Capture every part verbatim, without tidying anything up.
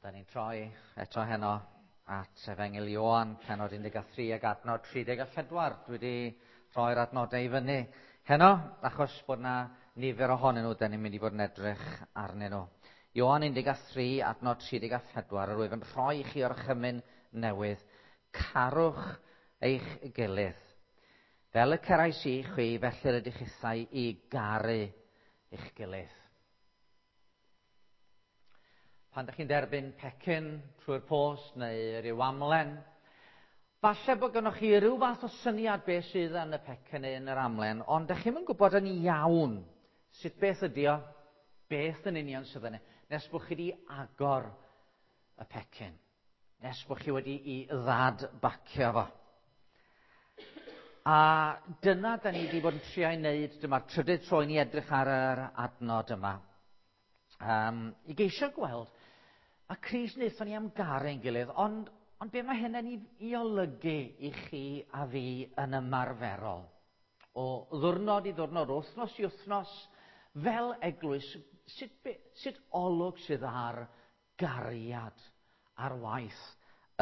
Wel, da ni'n troi eto heno at Efengyl Ioan, pennod un deg tri ac adnod tri deg a phedwar. Dwi wedi rhoi'r adnodau i fyny heno, achos bod na nifer ohonyn nhw, da ni'n mynd i fod yn edrych arnyn nhw. Ioan un deg tri, adnod tri deg a phedwar, yr wyf yn rhoi i chi orchymyn newydd. Carwch eich gilydd. Fel y cerais i chwi, felly rydych chithau i garu eich gilydd. Pan ydych chi'n derbyn pecyn trwy'r post neu ryw amlen, falle bod gennych chi ryw fath o syniad beth sydd yn y pecyn neu yn yr amlen, ond ydych chi'm yn gwybod yn iawn sut beth ydi o, beth yn union sydd yna, nes bod chi wedi agor y pecyn, nes bod chi wedi i ddadbacio fo. A dyna da ni wedi bod yn trio ei wneud, dyma'r trydydd tro i ni edrych ar yr adnod yma. Um, i geisio gweld, a Crist wnaethon ni am garu ein gilydd, ond, ond be mae hynny'n i, i olygu i chi a fi yn ymarferol? O ddwrnod i ddwrnod, o wythnos i wythnos, fel eglwys, sut, be, sut olwg sydd ar gariad, ar waith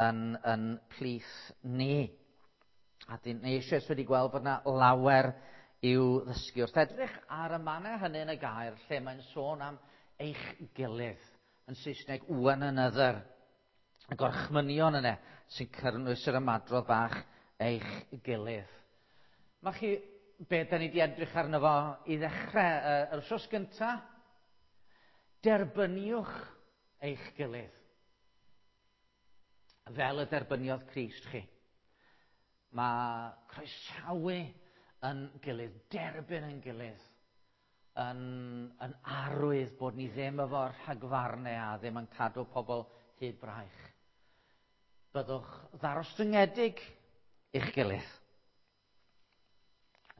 yn, yn plith ni? A dyn ni eisoes wedi gweld bod yna lawer i'w ddysgu. Wrth edrych ar y mannau hynny yn y gair, lle mae'n sôn am eich gilydd, yn Saesneg, one another, y gorchmynion yna sy'n cynnwys yr ymadrodd bach eich gilydd. Mae chi, be da ni wedi edrych arno fo i ddechrau yr wythnos gyntaf, derbyniwch eich gilydd, fel y derbyniodd Crist chi. Mae croesawu yn gilydd, derbyn yn gilydd, yn, yn arwydd bod ni ddim efo rhagfarnau a ddim yn cadw pobl hyd braich. Byddwch ddarostyngedig i'ch gilydd.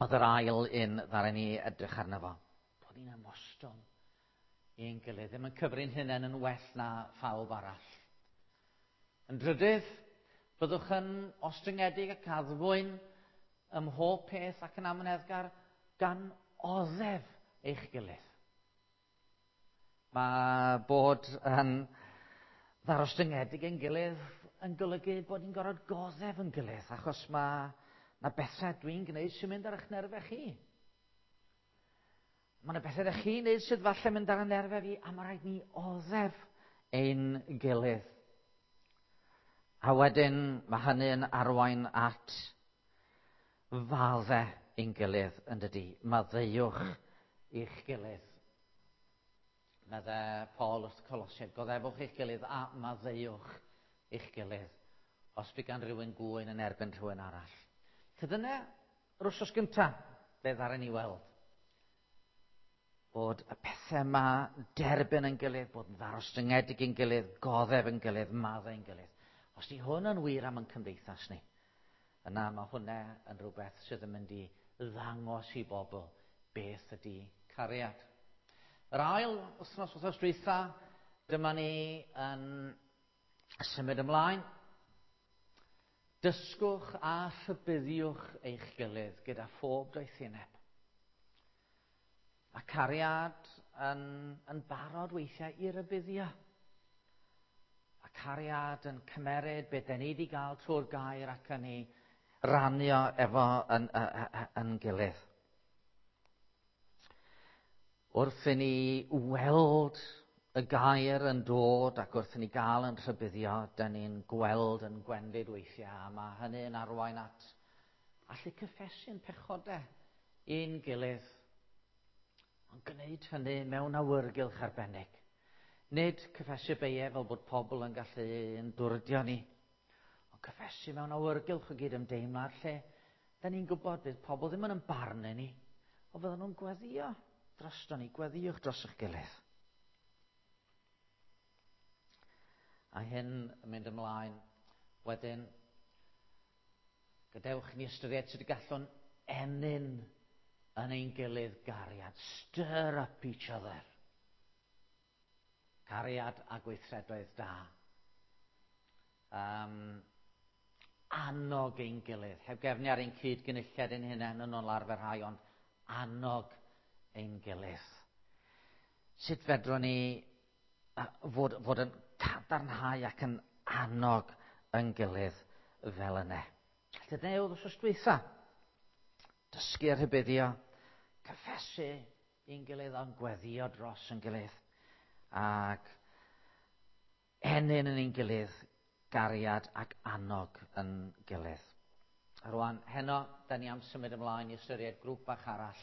Oedd yr ail un ddaru ni edrych arno fo. Bod ni'n ymostwng i'n gilydd, ddim yn cyfri'n hunain yn well na phawb arall. Yn drydydd, byddwch yn ostyngedig ac addfwyn ym mhob peth ac yn amyneddgar gan oddef eich gilydd. Mae bod yn ddarostyngedig ein gilydd yn golygu bod ni'n gorfod goddef yn gilydd, achos mae na bethau dwi'n gwneud sy'n mynd ar eich nerfau chi. Mae yna bethau ydych chi'n gwneud sydd falle mynd ar y nerfau fi, a mae rhaid ni oddef ein gilydd. A wedyn mae hynny'n arwain at faddau ein gilydd yn dydi. Maddeuwch i'ch gilydd. Medde Paul wrth Colosiaid, goddefwch eich gilydd a maddeuwch eich gilydd os by gan rhywun gŵyn yn erbyn rhywun arall. Felly dyna yr wythnos gyntaf, be ddaru ni weld. Bod y pethau yma derbyn yn gilydd, bod yn ddarostyngedig yn gilydd, goddef yn gilydd, maddau yn gilydd. Os di hwn yn wir am ein cymdeithas ni, yna mae hwnna yn rhywbeth sydd yn mynd i ddangos i bobl beth ydy cariad. Yr ail wythnos, wythnos dwytha, dyma ni yn symud ymlaen. Dysgwch a rhybuddiwch eich gilydd gyda phob doethineb. Mae cariad yn, yn barod weithiau i rybuddio. Mae cariad yn cymeryd beth da ni wedi gael trwy'r gair ac yn ei rannu o efo yn, yn, yn gilydd. Wrth i ni weld y gair yn dod ac wrth i ni gael yn rhybuddio, da ni'n gweld yn gwendid weithiau, a mae hynny'n arwain at allu cyffesu'n pechodau i'n gilydd, ond gwneud hynny mewn awyrgylch arbennig. Nid cyffesu beiau fel bod pobl yn gallu yn dwrdio ni, ond cyffesu mewn awyrgylch o gyd-ymdeimlad lle da ni'n gwybod bydd pobl ddim yn ymbarnu ni, ond fydden nhw'n gweddïo drosto ni, gweddïwch dros eich gilydd. A hyn yn mynd ymlaen wedyn, gadewch ni ystyried sut y gallwn ennyn yn ein gilydd gariad. Stir up each other. Cariad a gweithredoedd da. Um, annog ein gilydd. Heb gefnu ar ein cyd-gynulliad ein hunain yn ôl arfer rhai, ond annog ein gilydd. Sut fedrwn ni fod, fod yn cadarnhau ac yn annog yn gilydd fel yna. Dyna oedd wsos dwytha. Dysgu a rhybuddio, cyffesu i'n gilydd ond gweddio dros yn gilydd. Ac ennyn yn ein gilydd gariad ac annog yn gilydd. A rwan, heno, da ni am symud ymlaen i ystyried grŵp bach arall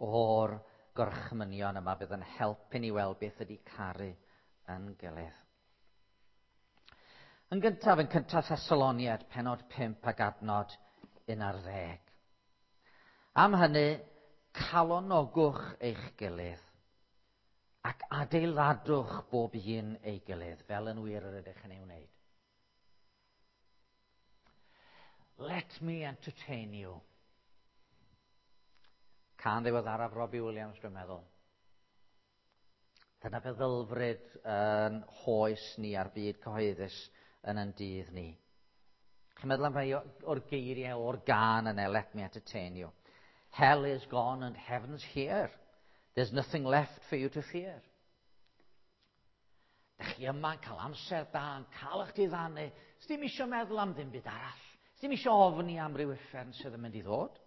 o'r gorchmynion yma bydd yn helpu ni weld beth ydy caru yn gilydd. Yn gyntaf, yn cyntaf Thessaloniad, pennod pump ac adnod un ar ddeg. Am hynny, calonogwch eich gilydd ac adeiladwch bob un ei gilydd, fel yn wir yr ydych yn ei wneud. Let me entertain you. Cân ddiweddaraf Robbie Williams, dwi'n meddwl. Dyna feddylfryd yn hoes ni a'r byd cyhoeddus yn yn dydd ni. Chi'n meddwl am rhai o'r geiriau o'r gân yna, let me entertain you. Hell is gone and heaven's here. There's nothing left for you to fear. Dych chi yma'n cael amser da, yn cael eich diddanu. Sdim isio meddwl am ddim byd arall. Sdim isio ofni am ryw uffern sydd yn mynd i ddod.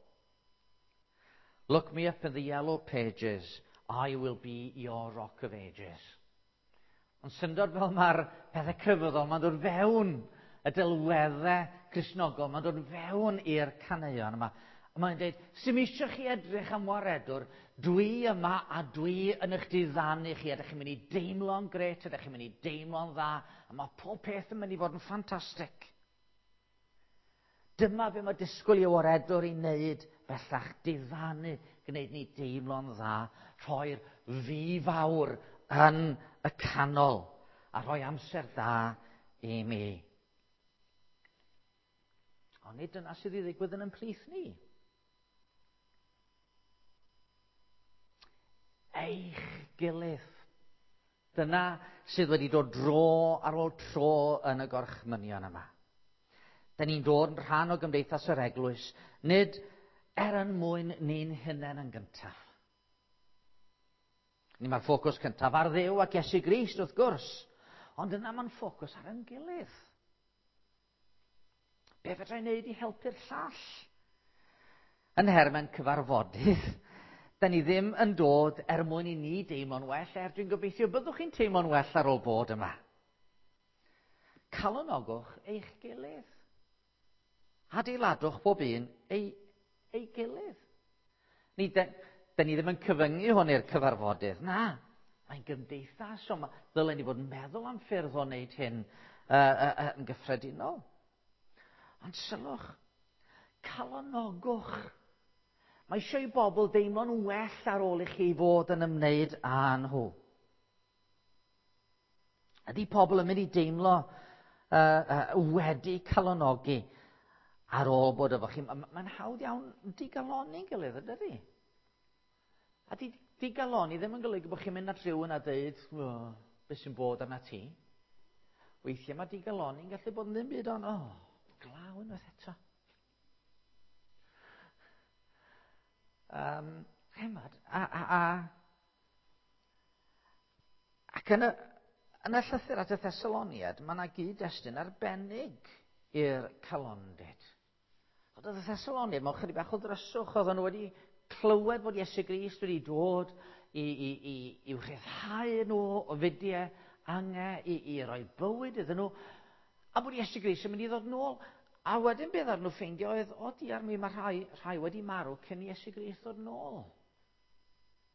Look me up in the yellow pages. I will be your rock of ages. Ond syndod fel mae'r pethau crefyddol, mae'n dod fewn y delweddau Cristnogol, mae'n dod fewn i'r caneuon yma. A mae'n dweud, sy'm eisiau chi edrych am waredwr, dwi yma a dwi yn eich diddanu chi, a ydych chi'n mynd i deimlo'n grêt, ydych chi'n mynd i deimlo'n dda, a mae pob peth yn mynd i fod yn ffantastig. Dyma be mae disgwyl i waredwr i wneud bellach, diddanu, gwneud ni deimlo'n dda, rhoi'r fi fawr yn y canol, a rhoi amser da i mi. Ond nid dyna sydd i ddigwydd yn ymhlith ni. Eich gilydd. Dyna sydd wedi dod dro ar ôl tro yn y gorchmynion yma. Da ni'n dod yn rhan o gymdeithas yr eglwys, nid er yn mwyn ni'n hunain yn gyntaf. Ni mae'r ffocws cyntaf ar Dduw ac Iesu Grist, wrth gwrs, ond yna mae'n ffocws ar ein gilydd. Be fedra i wneud i helpu'r llall? Yn nhermau cyfarfodydd, da ni ddim yn dod er mwyn i ni deimlo'n well, er dwi'n gobeithio byddwch chi'n teimlo'n well ar ôl bod yma. Calonogwch eich gilydd. Adeiladwch bob un ei, ei gilydd. Ni, da, da ni ddim yn cyfyngu hwn i'r cyfarfodydd. Na, mae'n gymdeithas, so ma, ddylen ni fod yn meddwl am ffyrdd o wneud hyn uh, uh, uh, yn gyffredinol. Ond sylwch, calonogwch. Mae eisiau i bobl deimlo'n well ar ôl i chi fod yn ymwneud â nhw. Ydy pobl yn mynd i deimlo uh, uh, wedi calonogi ar ôl bod efo chi? Mae'n hawdd iawn digaloni'n gilydd, ydy? A di, digaloni ddim yn golygu bod chi'n mynd at rhywun a dweud, oh, beth sy'n bod arna ti? Weithiau mae digaloni'n gallu bod yn ddim byd ond, oh, glaw unwaith eto. Um, chemad, a, a, a, ac yn y, yn y llythyr at y Thessaloniad, mae yna gyd-destun arbennig i'r calondid. Ond y Thessaloniad, mewn chydig bach o ddryswch, oedden nhw wedi clywed bod Iesu Grist wedi dod i, i, i, i'w rhyddhau nhw o fudiau angau, i, i roi bywyd iddyn nhw, a bod Iesu Grist yn mynd i ddod nôl. A wedyn beth ar nhw ffeindio oedd, o diar mi, mae rhai, rhai wedi marw cyn i Iesu Grist ddod nôl.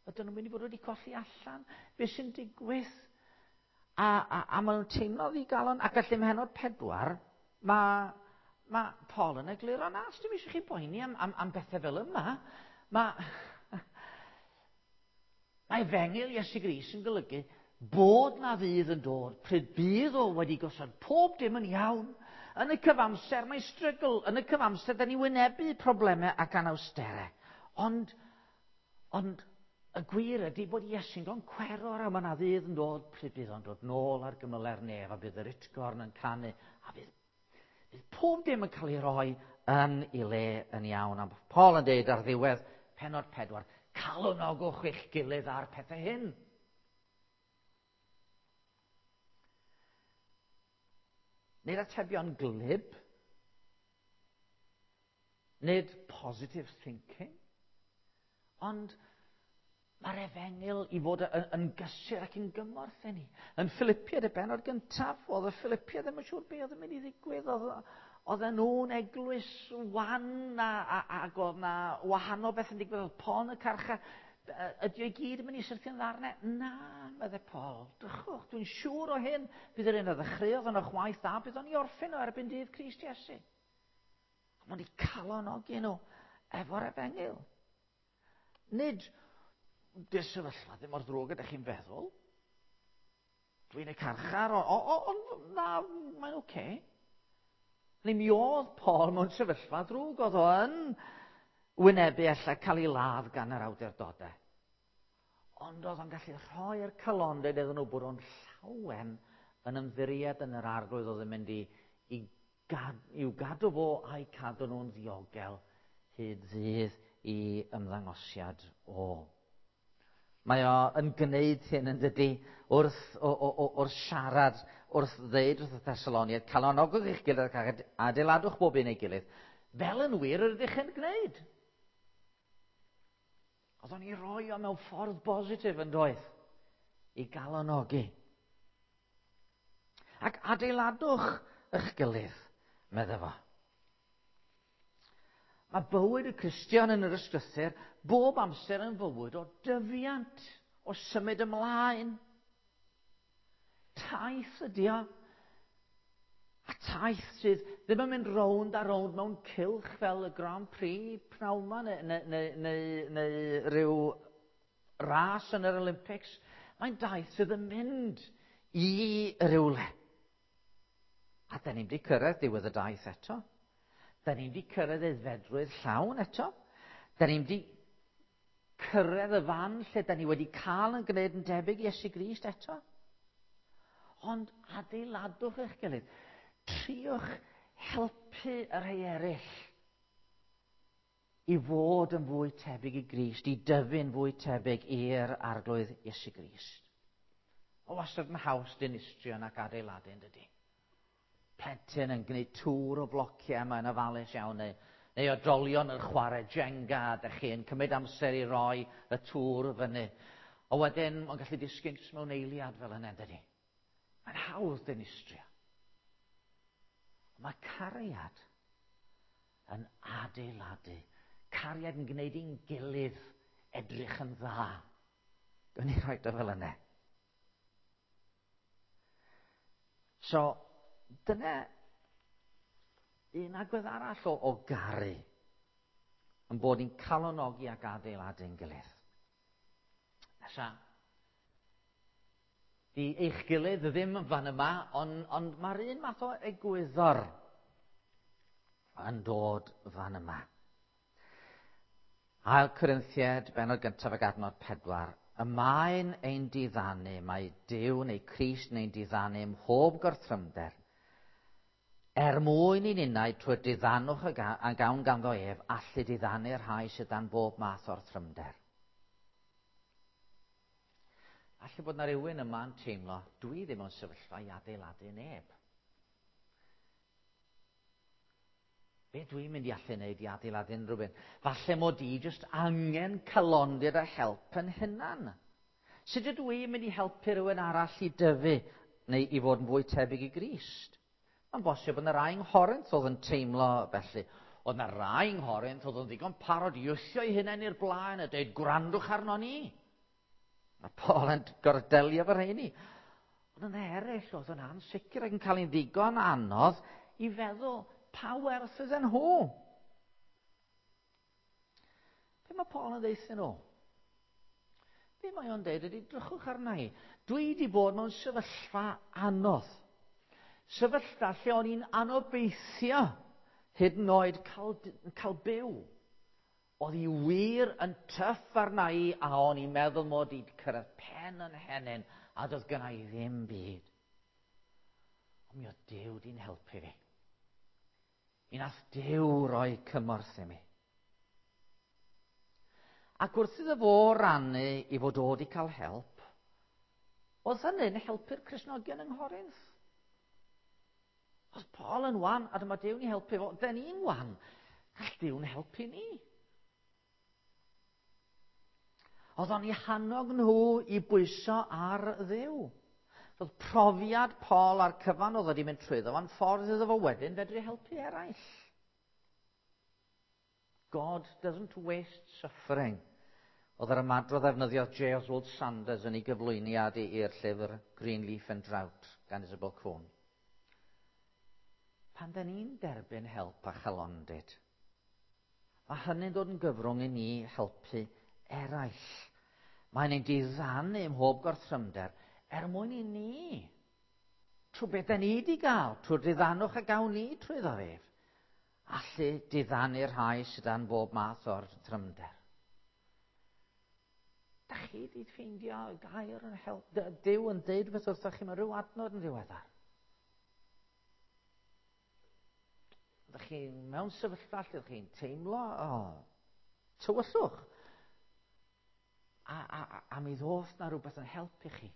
Ydyn nhw'n mynd i fod wedi colli allan? Be sy'n digwydd? A, a, a maen nhw'n teimlo ddigalon. Ac felly mhenod pedwar, mae, mae Paul yn egluro, na, dim eisiau chi boeni am, am, am bethau fel yma. Mae, mae efengyl Iesu Grist yn golygu bod na ddydd yn dod, pryd bydd o wedi gosod pob dim yn iawn. Yn y cyfamser mae strygl, yn y cyfamser da ni wynebu problemau ac anawsterau. Ond, ond y gwir ydy bod Iesu'n goncweror a mae yna ddydd yn dod pryd bydd o'n dod nôl ar gymyle'r nef a bydd yr utgorn yn canu a bydd, bydd pob dim yn cael ei roi yn ei le yn iawn. A Paul yn dweud ar ddiwedd pennod pedwar, calonogwch eich gilydd ar pethau hyn. Nid atebion glib. Nid positive thinking. Ond mae'r efengyl i fod yn, yn gysur ac yn gymorth i ni. Yn Philippiaid y bennod gyntaf, oedd y Philippiaid ddim yn siŵr beth oedd yn mynd i ddigwydd. Oedd, oedden nhw'n eglwys wan a, a, ac oedd na wahanol beth yn digwydd. Oedd Paul yn y carchar. Ydy o i gyd yn mynd i syrthio'n ddarnau? Na, meddai Paul. Drychwch, dwi'n siŵr o hyn. Bydd yr un a ddechreuodd yn o'ch waith da, bydd o'n i orffen o erbyn dydd Crist Iesu. Mae'n i calonogi nhw efo'r efengyl. Nid, di'r sefyllfa ddim mor ddrwg ydych chi'n feddwl. Dwi'n y carchar, ond na, mae'n oce. Okay. Neu mi oedd Paul mewn sefyllfa ddrwg, oedd o yn wynebu ella cael ei ladd gan yr awdurdodau. Ond oedd o'n gallu rhoi'r calondid iddyn nhw bod o'n llawen yn ymddiried yn yr Arglwydd oedd yn mynd i, i gad, i'w gadw fo a'i cadw nhw'n ddiogel hyd ddydd i ymddangosiad o. Mae o yn gwneud hyn yn dydy wrth, o, o, o, wrth siarad, wrth ddeud wrth y Thessaloniaid, calonogwch eich gilydd ac adeiladwch bob un ei gilydd, fel yn wir yr ydych yn gwneud. Oedd o'n i roi o mewn ffordd bositif yn doedd, i galonogi. Ac adeiladwch eich gilydd, medde fo. Mae bywyd y Cristion yn yr ysgrythur bob amser yn fywyd o dyfiant, o symud ymlaen. Taith ydi o. A taith sydd ddim yn mynd rownd a rownd mewn cylch fel y Grand Prix pnawn 'ma neu, neu, neu, neu, neu rhyw ras yn yr Olympics. Mae'n daith sydd yn mynd i rywle. A da ni'n wedi cyrraedd diwedd y daith eto. Da ni'n wedi cyrraedd aeddfedrwydd llawn eto. Da ni'n wedi cyrraedd y fan lle da ni wedi cael yn gwneud yn debyg i Iesu Grist eto. Ond adeiladwch eich gilydd. Triwch helpu y rhai eraill i fod yn fwy tebyg i Grist, i dyfu'n fwy tebyg i'r Arglwydd Iesu Grist. O wastad yn haws dinistrio nac adeiladu, yn dydy? Plentyn yn gwneud tŵr o flociau yma yn ofalus iawn, neu, neu oedolion yn chwarae Jenga, a dych chi'n cymryd amser i roi y tŵr fyny. O wedyn, mae'n gallu disgyn jyst mewn eiliad fel yna, dydy? Mae'n hawdd dinistrio. Mae cariad yn adeiladu. Cariad yn gwneud i'n gilydd edrych yn dda. Gwni ni rhoi o fel yna. So, dyna un agwedd arall o, o garu yn bod ni'n calonogi ac adeiladu'n gilydd. Nesa, di eich gilydd ddim yn fan yma, ond, ond mae'r un math o egwyddor yn dod fan yma. Ail Corinthiaid, bennod gyntaf ac adnod pedwar. Y mae'n ein diddanu, mae Duw neu Crist neu'n diddanu ym mhob gorthrymder, er mwyn i ninnau trwy'r diddanwch a gawn ganddo ef, allu diddanu'r rhai sydd dan bob math o'r trymder. Alle bod na rhywun yma'n teimlo, dwi ddim yn sefyllfa i adeiladu neb. Be dwi'n mynd i allu wneud i adeiladu unrhyw un? Falle mod i jyst angen calondid a help yn hunan. Sut ydw i'n mynd i helpu rhywun arall i dyfu neu i fod yn fwy tebyg i Grist? Mae'n bosib bod yna rai yng Nghorinth oedd yn teimlo felly. Oedd yna rai yng Nghorinth oedd yn ddigon parod i wthio eu hunain i'r blaen a dweud gwrandwch arno ni. Mae Paul yn gorfod delio efo rheini. Ond yna eraill oedd yn ansicr ac yn cael ein ddigon anodd i feddwl pa werth ydyn nhw. Be mae Paul yn ddeud nhw? Be mae o'n deud ydy, drychwch arna i. Dwi wedi bod mewn sefyllfa anodd. Sefyllfa lle o'n i'n anobeithio hyd yn oed cael, cael byw. Oedd hi wir yn tyff arna i a o'n i'n meddwl mod i wedi cyrraedd pen yn henyn a doedd gynna i ddim byd. Ond mi oedd Duw di'n helpu fi. Mi nath Duw roi cymorth i mi. Ac wrth iddo fo rannu i fod o wedi cael help, oedd hynny'n helpu'r Cristnogion yng Nghorinth. Oedd Paul yn wan, a dyma Duw'n ei helpu fo. Da ni'n wan. Gall Duw'n helpu ni. Oedd o'n eu hannog nhw i bwyso ar Dduw. Roedd profiad Paul a'r cyfan oedd wedi mynd trwyddo fo'n ffordd iddo fo wedyn fedru helpu eraill. God doesn't waste suffering. Oedd yr ymadrodd ddefnyddiodd J. Oswald Sanders yn ei gyflwyniad i'r llyfr Greenleaf and Drought gan Isabel Kuhn. Pan da ni'n derbyn help a chalondid, mae hynny'n dod yn gyfrwng i ni helpu eraill. Mae'n ein diddanu ym mhob gorthrymder er mwyn i ni, trwy beth da ni wedi gael, trwy'r diddanwch a gawn ni trwyddo ef, allu diddanu'r rhai sydd dan bob math o'r trymder. Da chi wedi ffeindio gair yn help, Duw yn deud beth wrthoch chi mewn rhyw adnod yn ddiweddar? Ydych chi mewn sefyllfa lle ydych chi'n teimlo, oh, tywyllwch. A, a, a, a mi ddoth na rhywbeth yn helpu chi.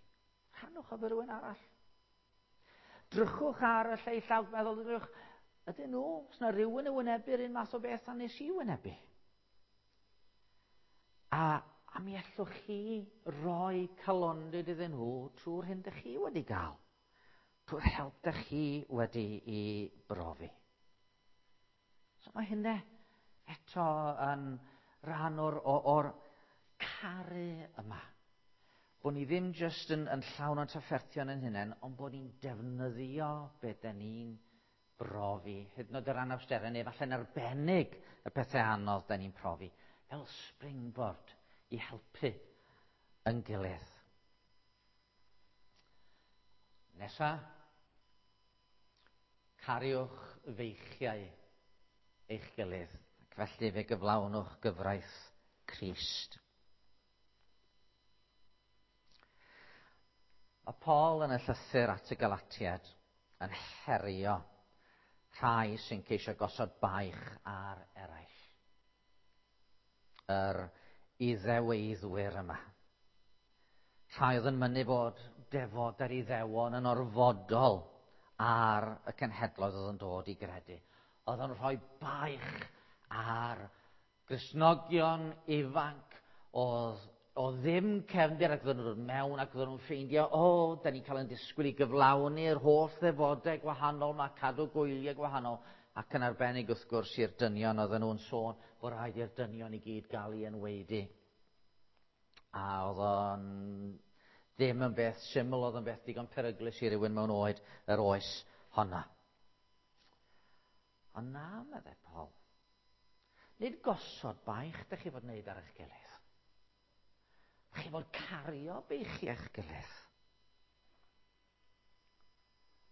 Rhannwch efo rhywun arall. Drychwch ar y lleill a meddwl, drychwch, ydyn nhw, os na rhywun yn wynebu'r un math o beth a nes i wynebu. A, a mi allwch chi roi calondid iddyn nhw trwy'r hyn dych chi wedi gael. Trwy'r help dych chi wedi i brofi. So mae hynny eto yn rhan o'r, or, or caru yma. Bod ni ddim jyst yn, yn llawn o'n trafferthion yn hunain, ond bod ni'n defnyddio beth da ni'n brofi. Hyd yn oed yr anawsterau neu falle'n arbennig y pethau anodd da ni'n profi. Fel springboard i helpu yn gilydd. Nesa, cariwch feichiau eich gilydd, ac felly fe gyflawnwch gyfraith Crist. Mae Paul yn y llythyr at y Galatiaid yn herio rhai sy'n ceisio gosod baich ar eraill. Yr iddeweiddwyr yma. Rhai oedd yn mynnu bod defod yr Iddewon yn orfodol ar y cenhedloedd oedd yn dod i gredu. Oedd yn rhoi baich ar Gristnogion ifanc oedd o ddim cefndir ac oedden nhw'n dod mewn ac oedden nhw'n ffeindio, o, oh, da ni'n cael ein disgwyl i gyflawni'r holl ddefodau gwahanol, mae cadw gwyliau gwahanol, ac yn arbennig wrth gwrs i'r dynion oedden nhw'n sôn bod rhaid i'r dynion i gyd gael ei enwaedu. A oedd o'n ddim yn beth syml, oedd yn beth digon peryglus i rywun mewn oed yr oes honna. Ond na, meddai Paul, nid gosod baich dych chi fod wneud ar eich gilydd. Chi fod cario beichiau eich gilydd.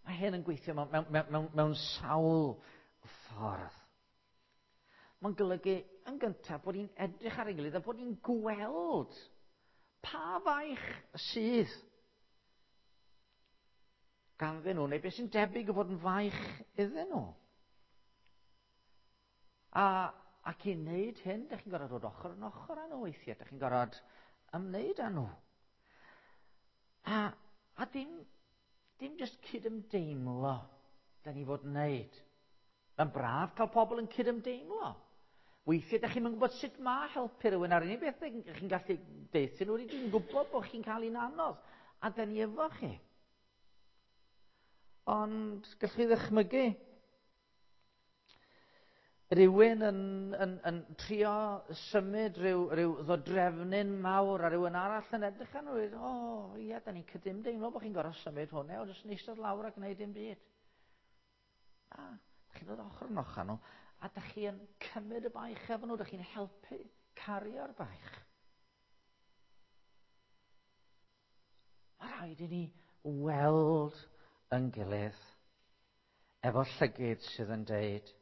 Mae hyn yn gweithio mewn, mewn, mewn, mewn sawl ffordd. Mae'n golygu yn gyntaf bod ni'n edrych ar ein gilydd a bod ni'n gweld pa faich sydd ganddyn nhw, neu beth sy'n debyg o fod yn faich iddyn nhw. A, ac i wneud hyn, dych chi'n gorfod dod ochr yn ochr â nhw weithiau. Dych chi'n gorfod ymwneud â nhw. A, a dim, dim jyst cydymdeimlo da ni fod yn wneud. Mae'n braf cael pobl yn cydymdeimlo. Weithiau, da chi'n gwybod sut mae helpu rhywun ar unig beth chi'n gallu deutha nhw, dwi'n gwybod bod chi'n cael un anodd, a da ni efo chi. Ond gallwch chi ddychmygu rhywun yn, yn, yn trio symud rhyw, rhyw ddodrefnyn mawr a rhywun arall yn edrych arno, o, oh, ie, da ni'n cydymdeimlo bod chi'n gorfod symud hwnna, ond jyst yn eistedd lawr a gwneud dim byd. Na, da chi'n dod ochr yn ochr nhw, a da chi yn cymryd y baich efo nhw, da chi'n helpu cario'r baich. Mae rhaid i ni weld yn gilydd efo llygid sydd yn deud,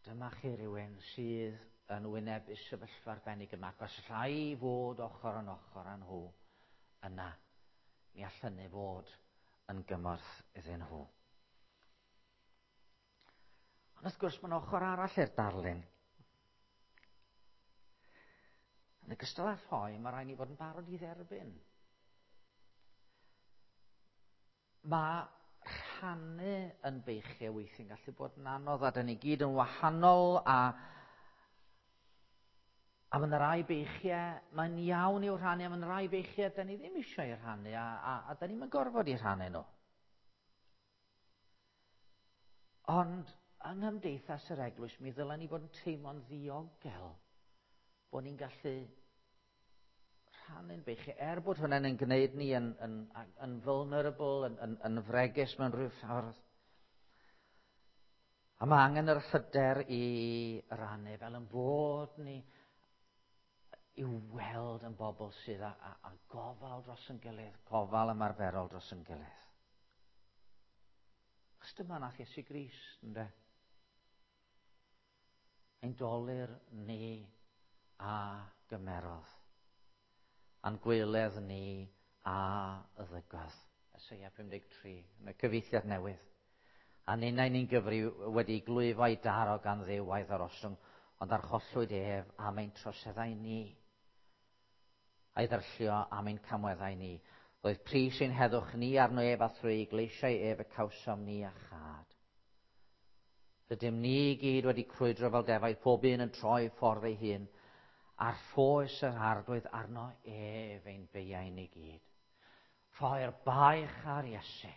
dyma chi rhywun sydd yn wynebu sefyllfa arbennig yma, ac os allai fod ochr yn ochr â nhw, yna, mi all hynny fod yn gymorth iddyn nhw. Ond wrth gwrs, mae'n ochr arall i'r darlun. Yn ogystal â rhoi, mae rhaid ni fod yn barod i dderbyn. Mae rhannu yn beichiau weithiau'n gallu bod yn anodd, a da ni gyd yn wahanol, a, a mae yna rai beichiau, mae'n iawn i'w rhannu, a mae yna rai beichiau da ni ddim eisiau eu rhannu, a, a, a da ni'n gorfod i rhannu nhw. Ond yng nghymdeithas yr eglwys, mi ddylen ni fod yn teimlo'n ddiogel bod ni'n gallu rhannu'n beichiau, er bod hwnna'n yn gwneud ni yn, yn, yn vulnerable, yn, yn, yn fregus mewn rhyw ffordd. A mae angen yr hyder i rannu fel yn bod ni i weld yn bobl sydd â, â, â gofal dros yn gilydd, gofal ymarferol dros yn gilydd. Achos dyma nath Iesu Grist, ynde? Ein dolur ni a gymerodd, a'n gweledd ni a ddygodd. Eseia pum deg tri, yn y cyfieithiad newydd. A ninnau ni'n gyfri wedi glwyfo i daro gan Dduw a'i ddarostwng, ond archollwyd ef am ein troseddau ni, a'i ddyrllio am ein camweddau ni. Roedd pris ein heddwch ni arno ef, a thrwy gleisiau ef y cawsom ni a chad. Rydym ni gyd wedi crwydro fel defaid, pob un yn troi ffordd ei hun, a'r rhoes yr Arglwydd arno ef ein beiau ni gyd. Rhoi'r baich ar Iesu.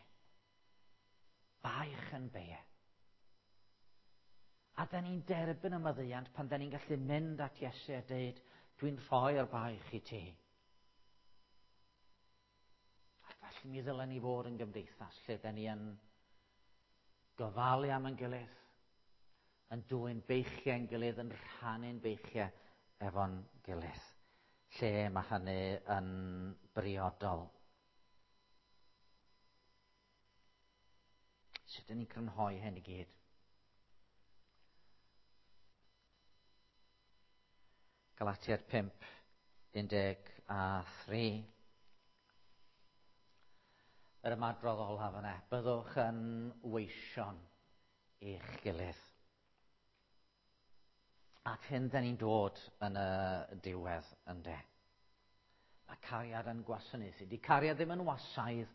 Baich yn beiau. A da ni'n derbyn y maddeuant pan da ni'n gallu mynd at Iesu a dweud, dwi'n rhoi'r baich i ti. A felly mi ddylen ni fod yn gymdeithas lle da ni yn gofalu am ein gilydd, yn dwyn beichiau ein gilydd, yn rhannu'n beichiau efo'n gilydd, lle mae hynny yn briodol. Sut ydyn ni'n crynhoi hyn i gyd? Galatiaid pump, un deg a thri. Yr ymadrodd olaf yna, byddwch yn weision i'ch gilydd. At hyn da ni'n dod yn y diwedd, ynde. Mae cariad yn gwasanaethu. Di cariad ddim yn wasaidd,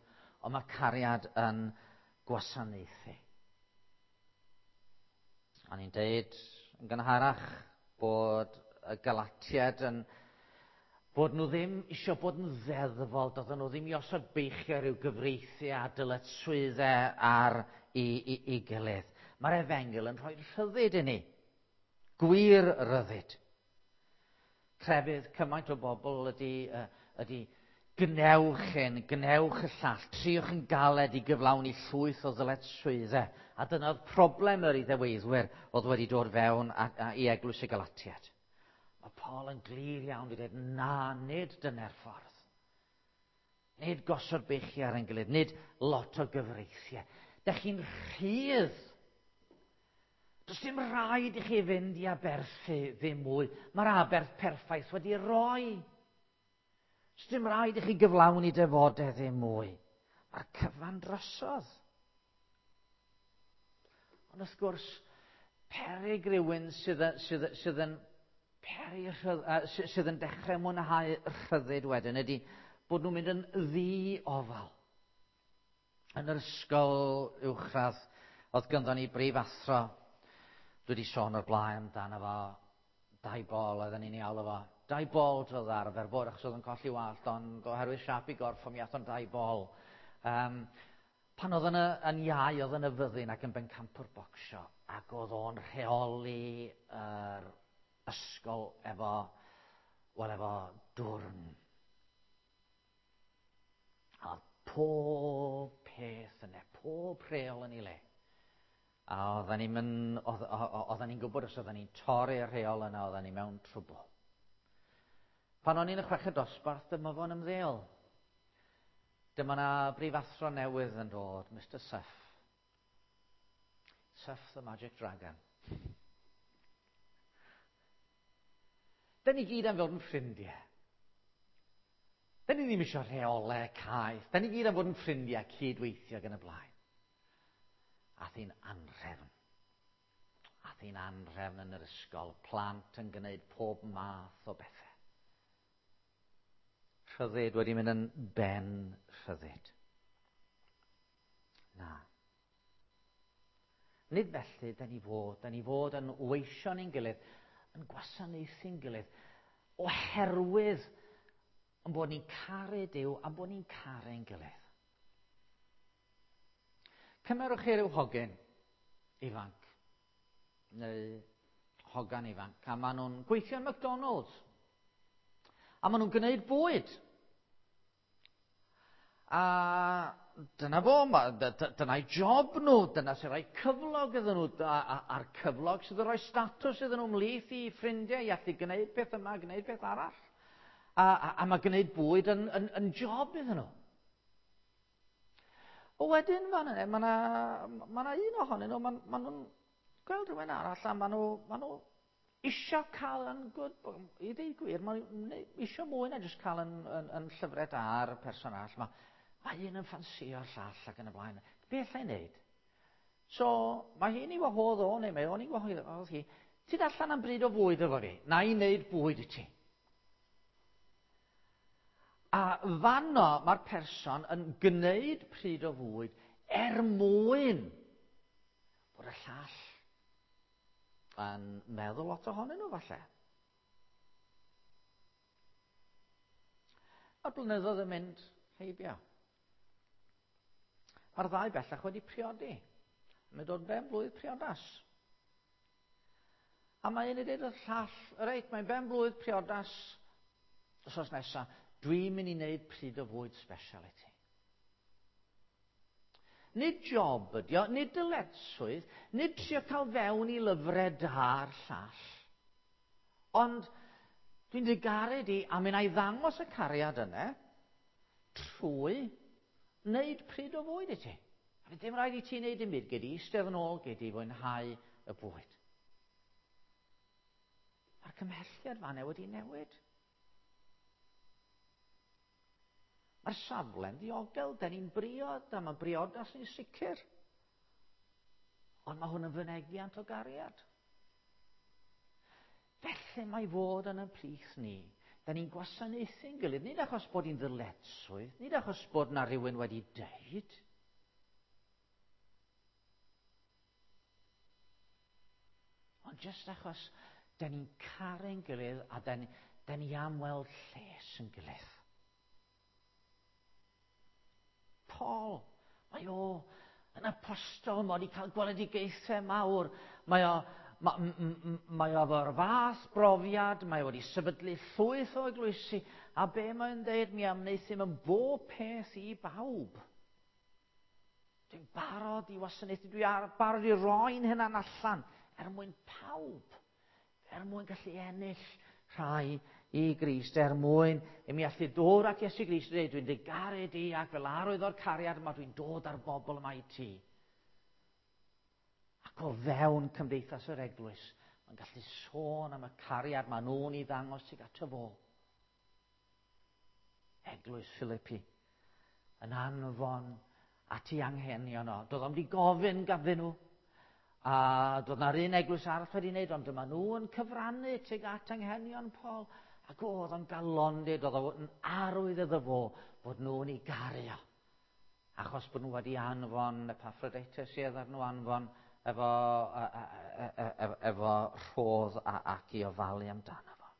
ond mae cariad yn gwasanaethu. A ni'n deud yn gynharach bod y Galatiaid yn bod nhw ddim eisiau bod yn ddeddfol, doedden nhw ddim i osod beichiau rhyw gyfreithiau a dyletswyddau ar i, i, i gilydd. Mae'r efengyl yn rhoi rhyddid i ni. Gwir ryddid. Crefydd cymaint o bobl ydy, ydy gnewch hyn, gnewch y llall, triwch yn galed i gyflawni llwyth o ddyletswyddau. A dyna'r problem yr Iddeweithwyr oedd wedi dod fewn a, a, i eglwys y Galatiaid. Mae Paul yn glir iawn wedi dweud, na, nid dyna'r ffordd. Nid gosod beichiau ar ein gilydd, nid lot o gyfreithiau. Dych chi'n rhydd. Does dim rhaid i chi fynd i aberthu ddim mwy. Mae'r aberth perffaith wedi roi. Does dim rhaid i chi gyflawni defodau ddim mwy. Mae'r cyfan drosodd. Ond wrth gwrs, peryg rhywun sydd, sydd, sydd yn peri rhydd, sydd yn dechrau mwynhau rhyddid wedyn ydy bod nhw'n mynd yn ddi-ofal. Yn yr ysgol uwchradd, oedd ganddo ni brif athro. Dwi wedi sôn o'r blaen amdano fo, dau bol oedden ni'n ei alw fo. Dau bol oedd arfer bod, achos oedd yn colli wallt, ond oherwydd siap i gorff, mi ath o'n dau bol. Um, pan oedd yn, yn iau, oedd yn y fyddin ac yn bencampwr bocsio, ac oedd o'n rheoli yr ysgol efo, wel, efo dwrn. A pob peth yna, pob rheol yn ei le. A oedden ni'n mynd, oedden ni'n gwybod os oedden ni'n torri'r rheol yna, oedden ni mewn trwbl. Pan o'n i'n y chweched dosbarth, dyma fo'n ymddeol. Dyma na brifathro newydd yn dod, Mister Suff. Suff the Magic Dragon. Da ni gyd am fod yn ffrindiau. Da ni ddim eisiau rheolau caeth. Da ni gyd am fod yn ffrindiau cydweithio gan y blaen. Ath hi'n anrhefn. Ath hi'n anrhefn yn yr ysgol. Plant yn gwneud pob math o bethau. Rhyddid wedi mynd yn ben rhyddid. Na. Nid felly, da ni fod. Da ni fod yn weision ein gilydd, yn gwasanaethu'n gilydd, oherwydd yn bod ni'n caru Duw a bod ni'n caru ein gilydd. Cymerwch chi ryw hogyn ifanc, neu hogan ifanc, a maen nhw'n gweithio yn McDonald's. A maen nhw'n gwneud bwyd. A dyna fo, dyna'i job nhw, dyna sy'n rhoi cyflog iddyn nhw, a'r cyflog sydd yn rhoi statws iddyn nhw ymhlith i ffrindiau i allu gwneud peth yma, gwneud peth arall. A, a, a mae gwneud bwyd yn, yn, yn job iddyn nhw. O wedyn fan yna, mae yna ma ma un ohonyn nhw, maen ma nhw'n gweld rhywun arall a maen nhw, ma nhw isio cael yn good, i ddweud gwir, maen nhw isio mwy na jyst cael yn, yn, yn llyfrau da ar y person arall. Mae, mae un yn ffansio'r llall ac yn y blaen. Be allai wneud? So, mae hi'n ei wahodd o, neu mae o'n ei wahodd hi, ti allan am bryd o fwyd efo fi, na i wneud bwyd i ti. A fanno mae'r person yn gwneud pryd o fwyd er mwyn bod y llall yn meddwl lot ohonyn nhw falle. Mae'r blynyddoedd yn mynd heibio. Mae'r ddau bellach wedi priodi. Mae'n dod ben blwydd priodas. A mae un i dweud wrth llall, reit, mae'n ben blwydd priodas wythnos nesaf. Dwi'n mynd i wneud pryd o fwyd special i ti. Nid job ydi o, nid dyletswydd, nid trio cael fewn i lyfrau da'r llall. Ond dwi'n dy garu di, a mi wna i ddangos y cariad yna trwy wneud pryd o fwyd i ti. A fydd dim rhaid i ti wneud dim byd, gei di eistedd yn ôl, gei di fwynhau y bwyd. Mae'r cymhelliad fan'na wedi newid. Mae'r safle'n ddiogel, da ni'n briod, a mae briodas ni'n sicr. Ond mae hwn yn fynegiant o gariad. Felly mae fod yn y plith ni. Da ni'n gwasanaethu'n gilydd, nid achos bod hi'n ddyletswydd, nid achos bod na rhywun wedi deud. Ond jyst achos da ni'n caru'n gilydd a da ni, da ni am weld lles yn gilydd. Paul, mae o yn apostol, mae wedi cael gweledigaethau mawr, mae o, ma, mae o efo'r fath brofiad, mae o wedi sefydlu llwyth o eglwysi, a be mae'n dweud, mi am wnaethum yn bob peth i bawb. Dwi'n barod i wasanaethu, dwi'n barod i roi'n hynna'n allan er mwyn pawb, er mwyn gallu ennill rhai i Grist, er mwyn i mi allu dod at Iesu Grist a dweud, dwi'n dy garu di ac fel arwydd o'r cariad yma dwi'n dod ar bobl yma i ti. Ac o fewn cymdeithas yr eglwys, mae'n gallu sôn am y cariad maen nhw'n ei ddangos tuag ato fo. Eglwys Philippi yn anfon at ei anghenion o. Doedd o'm wedi gofyn ganddyn nhw. A doedd na'r un eglwys arall wedi wneud, ond dyma nhw yn cyfrannu tuag at anghenion Paul. Ac oedd o'n galondid, oedd o'n arwydd iddo fo bod nhw'n ei garu o. Achos bod nhw wedi anfon Epaphroditus sydd ar nhw anfon efo, efo, efo rhodd a, ac i ofalu amdano fo.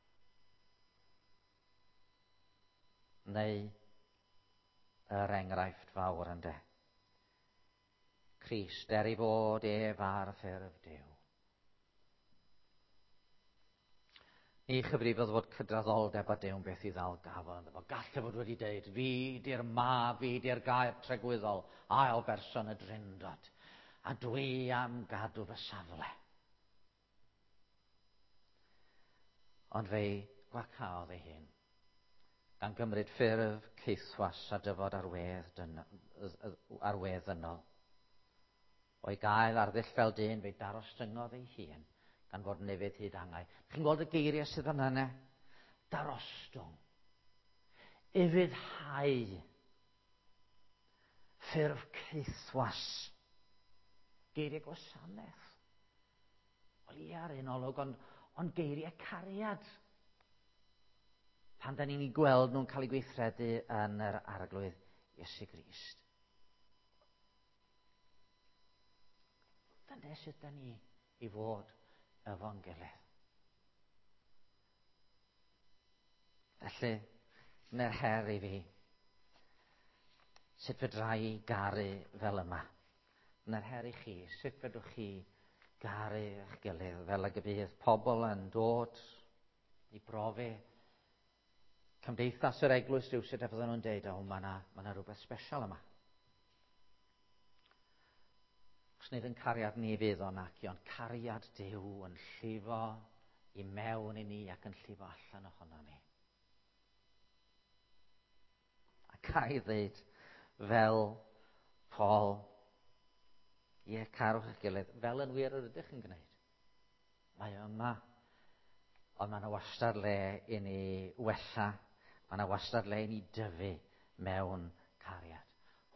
Neu yr enghraifft fawr ynde. Crist, er ei fod ef ar ffurf Duw. Ni chyfrifodd fod cydraddoldeb a Duw'n beth i ddal gafel ynddo fo. Gallai fod wedi deud, fi di'r mab, fi di'r gair tregwyddol, ail berson y Drindod, a dwi am gadw fy safle. Ond fe'i gwacaodd ei hun, gan gymryd ffurf caethwas a dyfod ar wedd, dyn, ar wedd ddynol. O'i gael arddull fel dyn, fe'i darostyngodd ei hun, gan fod yn ufudd hyd angau. Chi'n gweld y geiriau sydd fan yna? Darostwng. Ufuddhau. Ffurf caethwas. Geiriau gwasanaeth. Wel ie ar un olwg, ond, ond geiriau cariad. Pan da ni'n ei gweld nhw'n cael eu gweithredu yn yr Arglwydd Iesu Grist. Dyna sut da ni i fod efo'n gilydd. Felly, dyna'r her i fi. Sut fedra i garu fel yma? Dyna'r her i chi. Sut fedrwch chi garu eich gilydd fel ag y bydd pobl yn dod i brofi cymdeithas yr eglwys rhywsut a fydden nhw'n deud, o, mae yna ma 'na rhywbeth special yma. Os nid yn cariad ni fydd o naci, ond cariad Duw yn llifo i mewn i ni ac yn llifo allan ohono ni. A ga i ddeud, fel Paul, ie, carwch eich gilydd, fel yn wir yr ydych yn gwneud. Mae o yma, ond mae yna wastad le i ni wella, mae yna wastad le i ni dyfu mewn cariad.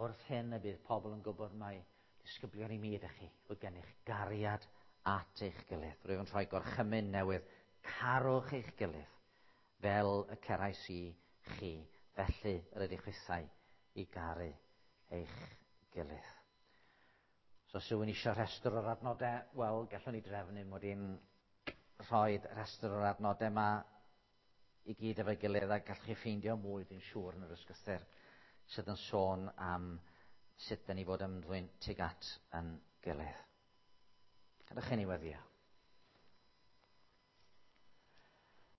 Wrth hyn y bydd pobl yn gwybod mai disgyblion i mi ydych chi, fod gennych gariad at eich gilydd. Rwyf yn rhoi gorchymyn newydd, carwch eich gilydd, fel y cerais i chi, felly yr ydych chwithau i garu eich gilydd. So os rhywun eisiau rhestr o'r adnodau, wel, gallwn ni drefnu mod i'n rhoi rhestr o'r adnodau yma i gyd efo'i gilydd a gallwch chi ffeindio mwy, dwi'n siŵr, yn yr ysgrythur sydd yn sôn am sut da ni fod ymddwyn tuag at yn gilydd. Gadewch i ni weddïo.